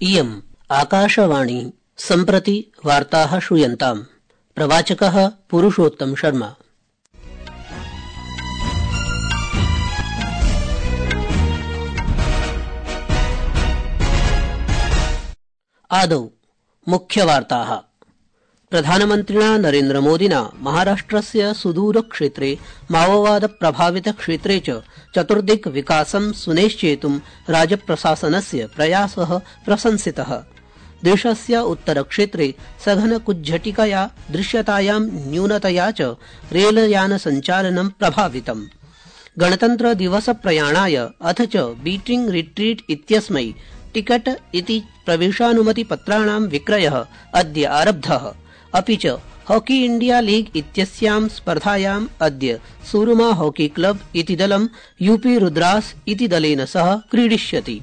इयम् आकाशवाणी सम्प्रति वार्ताः श्रूयन्ताम्। प्रवाचकः पुरुषोत्तम शर्मा। आदौ मुख्यवार्ताः। प्रधानमन्त्रिणा नरेन्द्रमोदिना महाराष्ट्रस्य सुदूरक्षेत्रे माओवाद प्रभावित क्षेत्रे च चतुर्दिक् विकासं सुनिश्चेतुं राज्यप्रशासनस्य प्रयासः प्रशंसितः। देशस्य उत्तरक्षेत्रे सघनकुज्झटिकया दृश्यतायां न्यूनतया च रेलयानसञ्चालनं प्रभावितम्। गणतन्त्रदिवसप्रयाणाय अथ च बीटिंग रिट्रीट इत्यस्मै टिकट इति प्रवेशानुमतिपत्राणां विक्रयः अद्य आरब्धः। अपि च हॉकी इंडिया लीग इत्यस्यां स्पर्धायाम् अद्य सूरमा हॉकी क्लब इति दलं यूपी रुद्रास इति दलेन सह क्रीडिष्यति।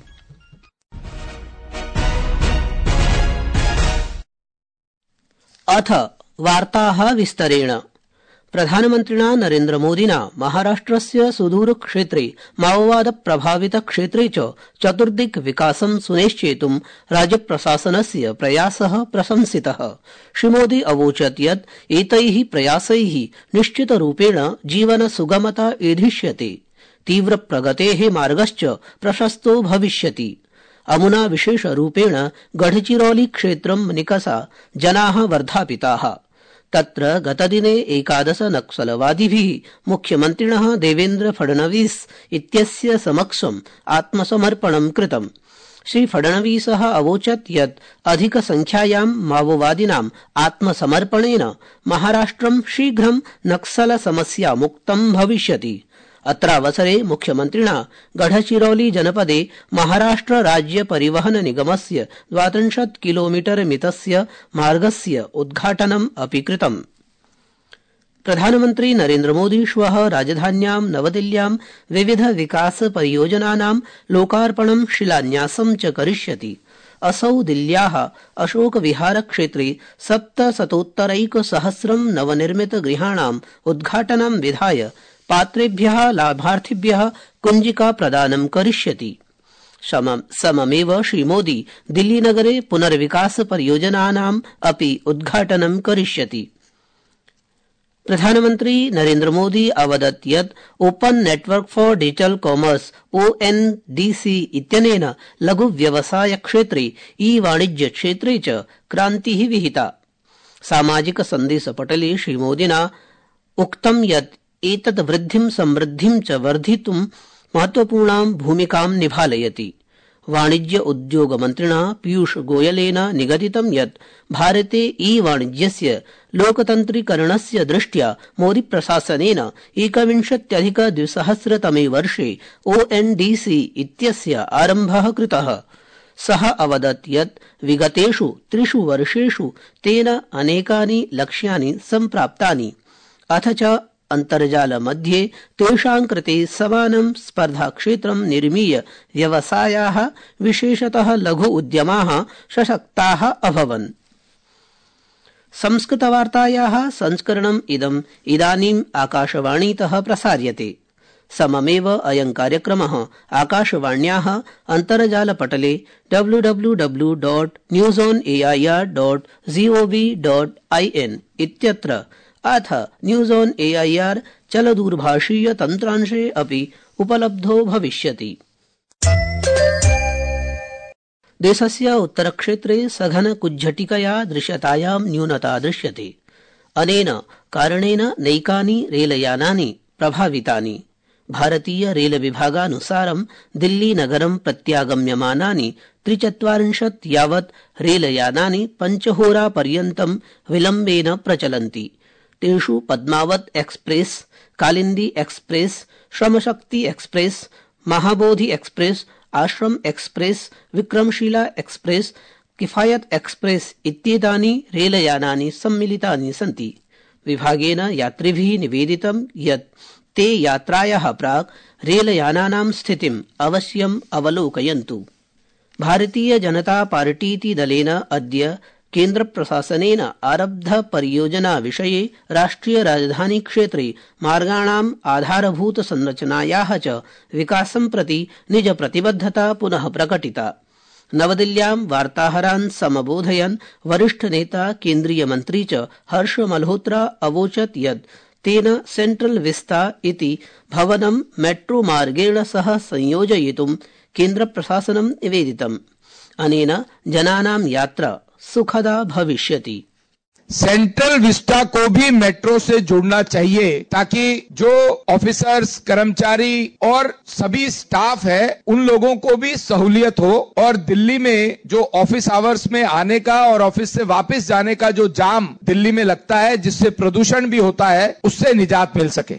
अथ वार्ताः विस्तरेण। प्रधानमन्त्रिणा नरेन्द्रमोदिना महाराष्ट्रस्य सुदूरक्षेत्रे माओवाद प्रभावित क्षेत्रे च चतुर्दिक् विकासं सुनिश्चेतुं राज्यप्रशासनस्य प्रयासः प्रशंसितः। श्रीमोदी अवोचत् यत् एतैः प्रयासैः निश्चितरूपेण जीवन सुगमता एधिष्यते, तीव्रप्रगतेः मार्गश्च प्रशस्तो भविष्यति। अमुना विशेषरूपेण गढ़चिरौली क्षेत्रं निकषा जनाः वर्धापिताः। तत्र गतदिने 11 नक्सलवादिभिः मुख्यमन्त्रिणः देवेन्द्र फडणवीस इत्यस्य समक्षम् आत्मसमर्पणं कृतम्। श्री फडणवीसः अवोचत् यत् अधिकसंख्यायां माओवादिनाम् आत्मसमर्पणेन महाराष्ट्रं शीघ्रं नक्सलसमस्या मुक्तं भविष्यति। अत्रावसरे मुख्यमन्त्रिणा गढ़चिरौली जनपदे महाराष्ट्र राज्य परिवहन निगमस्य 32 किलोमीटर मितस्य मार्गस्य उद्घाटनम् अपि कृतम्। प्रधानमन्त्री नरेन्द्रमोदी श्वः राजधान्यां नवदिल्ल्यां विविध विकास परियोजनानां लोकार्पणं शिलान्यासं च करिष्यति। असौ दिल्ल्याः अशोक विहार क्षेत्रे 700 नवनिर्मित गृहाणाम् उद्घाटनं विधाय पात्रेभ्यः लाभार्थिभ्यः कुञ्जिका प्रदानं करिष्यति। सममेव श्रीमोदी दिल्लीनगरे पुनर्विकास परियोजनानाम् अपि उद्घाटनं करिष्यति। प्रधानमन्त्री नरेन्द्रमोदी अवदत् यत् open network for digital commerce ONDC इत्यनेन लघु व्यवसाय क्षेत्रे ई-वाणिज्य क्षेत्रे च क्रान्तिः विहिता। सामाजिक सन्देशपटले श्रीमोदिना उक्तं यत् एतत् वृद्धिं समृद्धिं च वर्धितुं महत्वपूर्णां भूमिकां निभालयति। वाणिज्य उद्योग मन्त्रिणा पीयूष गोयलेन निगदितं यत् भारते ई-वाणिज्यस्य लोकतन्त्रीकरणस्य दृष्ट्या मोदी प्रशासनेन 21-2000 तमे वर्षे ONDC इत्यस्य आरम्भः कृतः। सः अवदत् यत् विगतेषु 3 वर्षेषु तेन अनेकानि लक्ष्यानि सम्प्राप्तानि, अथ च अन्तर्जाल मध्ये तेषां कृते समानं स्पर्धाक्षेत्रं निर्मीय व्यवसायाः विशेषतः लघु उद्यमाः सशक्ताः अभवन्। संस्कृतवार्तायाः संस्करणम् इदानीम् आकाशवाणीतः प्रसार्यते। सममेव अयं कार्यक्रमः आकाशवाण्याः अन्तर्जालपटले www.newsonair.gov.in इत्यत्र अथ न्यूज ऑन AIR चलदूरभाषीय तन्त्रांशे अपि उपलब्धो भविष्यति। देशस्य उत्तरक्षेत्रे सघन कुज्झटिकया दृश्यतायां न्यूनता दृश्यते। अनेन कारणेन नैकानि रेलयानानि प्रभावितानि। भारतीय रेलविभागानुसारं दिल्लीनगरं प्रत्यागम्यमानानि 43 यावत् रेलयानानि 5 होरापर्यन्तं विलम्बेन प्रचलन्ति। तेषु पद्मावत एक्सप्रेस, कालिंदी एक्सप्रेस, श्रमशक्ति express, Mahabodhi express, ashram express, Vikramshila express, किफायत एक्सप्रेस इत्येतानि रेलयानानि सम्मिलितानि सन्ति। विभागेन यात्रिभिः निवेदितं यत् ते यात्रायाः प्राक् रेलयानानां स्थितिम् अवश्यम् अवलोकयन्तु। भारतीय जनता पार्टीति दलेन अद्य केन्द्रप्रशासनेन आरब्ध परियोजना विषये राष्ट्रिय राजधानी क्षेत्रे मार्गाणाम् आधारभूत संरचनायाः च विकासं प्रति निज प्रतिबद्धता पुनः प्रकटिता। नवदिल्ल्यां वार्ताहरान् समबोधयन् वरिष्ठ नेता केन्द्रीय मन्त्री च हर्ष मल्होत्रा अवोचत् यत् तेन सेंट्रल विस्ता इति भवनं मेट्रो मार्गेण सह संयोजयितुं केन्द्रप्रशासनं निवेदितम्। अनेन जनानां यात्रा सुखदा भविष्यति। सेंट्रल विस्टा को भी मेट्रो से जोड़ना चाहिए ताकि जो ऑफिसर्स, कर्मचारी और सभी स्टाफ है उन लोगों को भी सहूलियत हो और दिल्ली में जो ऑफिस आवर्स में आने का और ऑफिस से वापस जाने का जो जाम दिल्ली में लगता है जिससे प्रदूषण भी होता है उससे निजात मिल सके।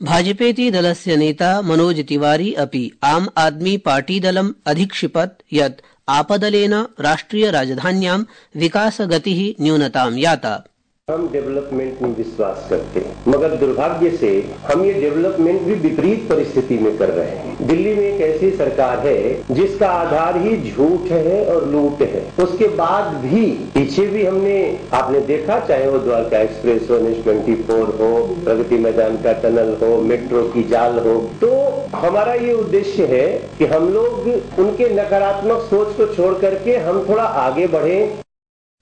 भाजपेति दलस्य नेता मनोज तिवारी अपि आम आदमी पार्टी दलम् अधिक्षिपत् यत् आपदलेन राष्ट्रिय राजधान्यां विकासगतिः न्यूनतां याता। हम डेवलपमेंट में विश्वास करते हैं, मगर दुर्भाग्य से हम ये डेवलपमेंट भी विपरीत परिस्थिति में कर रहे हैं। दिल्ली में एक ऐसी सरकार है जिसका आधार ही झूठ है और लूट है। उसके बाद भी पीछे भी हमने आपने देखा, चाहे वो द्वारका एक्सप्रेस हो, NH-24 हो, प्रगति मैदान का टनल हो, मेट्रो की जाल हो, तो हमारा ये उद्देश्य है कि हम लोग उनके नकारात्मक सोच को छोड़ करके हम थोड़ा आगे बढ़े।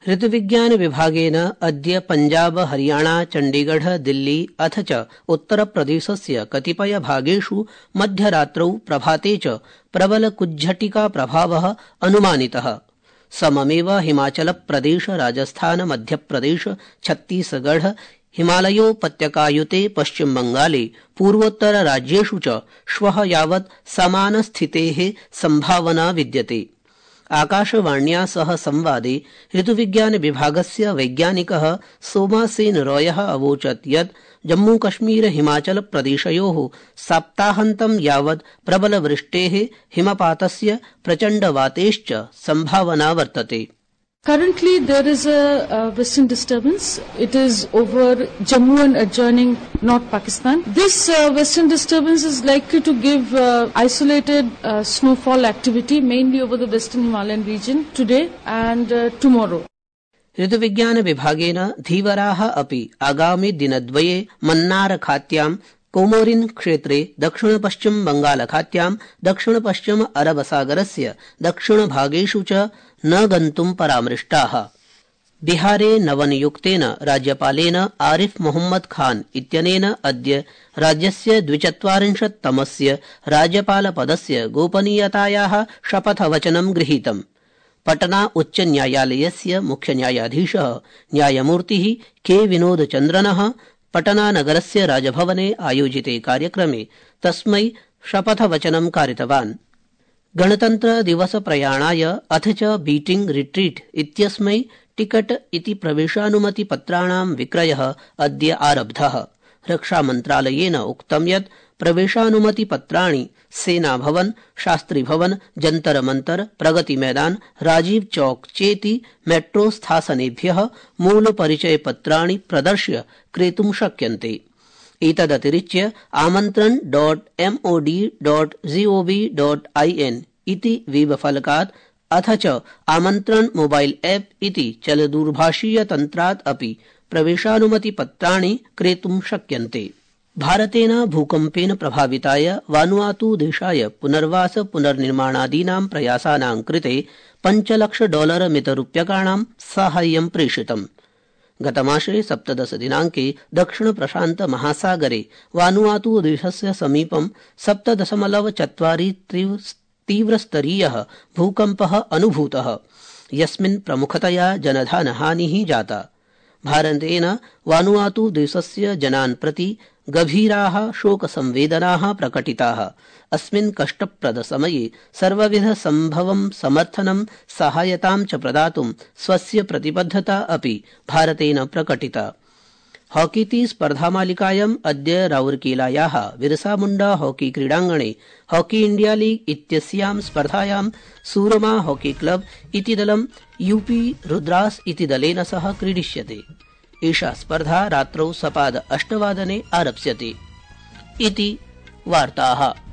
ऋतुविज्ञान विभागेन अद्य पंजाब, हरियाणा, चण्डीगढ़, दिल्ली अथ च उत्तरप्रदेशस्य कतिपय भागेषु मध्यरात्रौ प्रभाते च प्रबल कुज्झटिका प्रभावः अनुमानितः। सममेव हिमाचलप्रदेश, राजस्थान, मध्यप्रदेश, छत्तीसगढ़, हिमालयोपत्यकायुते पश्चिमबंगाले पूर्वोत्तरराज्येषु च श्वः यावत् समानस्थितेः संभावना विद्यते। आकाशवाण्या सह संवादे ऋतुविज्ञान विभागस्य वैज्ञानिकः सोमासेन रॉयः अवोचत् यत् जम्मूकश्मीर हिमाचल प्रदेशयोः सप्ताहान्तं यावत् प्रबलवृष्टेः, हिमपातस्य, प्रचण्डवातेश्च संभावना वर्तते। Currently, there is a western disturbance. It is over Jammu and adjoining North Pakistan. This western disturbance is likely to give isolated snowfall activity, mainly over the western Himalayan region today and tomorrow. ऋतुविज्ञान विभागेन धीवराः अपि आगामि दिनद्वये Mannar खात्यां, Comorin क्षेत्रे, दक्षिण पश्चिम बंगाल खात्यां, दक्षिण पश्चिम अरब सागरस्य दक्षिणभागेषु च न गन्तुं परामृष्टाः। बिहारे नवनियुक्तेन राज्यपालेन आरिफ मोहम्मद खान इत्यनेन अद्य राज्यस्य 42तमस्य राज्यपालपदस्य गोपनीयतायाः शपथवचनं गृहीतम्। पटना उच्च न्यायालयस्य मुख्य न्यायाधीशः न्यायमूर्तिः के विनोदचन्द्रनः पटना नगरस्य राजभवने आयोजिते कार्यक्रमे तस्मै शपथवचनं कारितवान्। गणतन्त्र दिवस प्रयाणाय अथ च बीटिंग रिट्रीट इत्यस्मै टिकट इति प्रवेशानुमति पत्राणां विक्रयः अद्य आरब्धः। रक्षामन्त्रालयेन उक्तं यत् प्रवेशानुमति पत्राणि सेना भवन, शास्त्री भवन, जंतर मंतर, प्रगति मैदान, राजीव चौक चेति मेट्रो स्थासनेभ्यः मूल परिचय पत्राणि प्रदर्श्य क्रेतुं शक्यन्ते। एतदतिरिच्य आमन्त्रण.mod.gov.in इति वेबफलकात् अथ च आमन्त्रण मोबाइल ऐप इति चलदूरभाषीय तन्त्रात् अपि प्रवेशानुमति पत्राणि क्रेतुं शक्यन्ते। भारतेन भूकम्पेन प्रभाविताय वानुआतु देशाय पुनर्वास पुनर्निर्माणादीनां प्रयासानां कृते $5 लाख मितरूप्यकाणां साहाय्यं प्रेषितम्। गतमासे 17 दिनांके दक्षिण प्रशांत महासागरे वानुआतु देशस्य समीपं 7.4 तीव्रस्तरीयः भूकम्पः अनुभूतः, यस्मिन् प्रमुखतया जनधनहानिः जाता। भारतेन वानुआतु देशस्य जनान् प्रति गभीराः शोकसंवेदनाः प्रकटिताः। अस्मिन् कष्टप्रद समये सर्वविध सम्भवं समर्थनं सहायतां च प्रदातुं स्वस्य प्रतिबद्धता अपि भारतेन प्रकटिता। हॉकीति स्पर्धामालिकायाम् अद्य राउरकेलायाः बिरसा मुण्डा हॉकी क्रीडाङ्गणे हॉकी इंडिया लीग इत्यस्यां स्पर्धायां सूरमा हॉकी क्लब इति दलं यूपी रुद्रास इति दलेन सह क्रीडिष्यते। एषा स्पर्धा रात्रौ सपाद 8 आरप्स्यते। इति वार्ताः।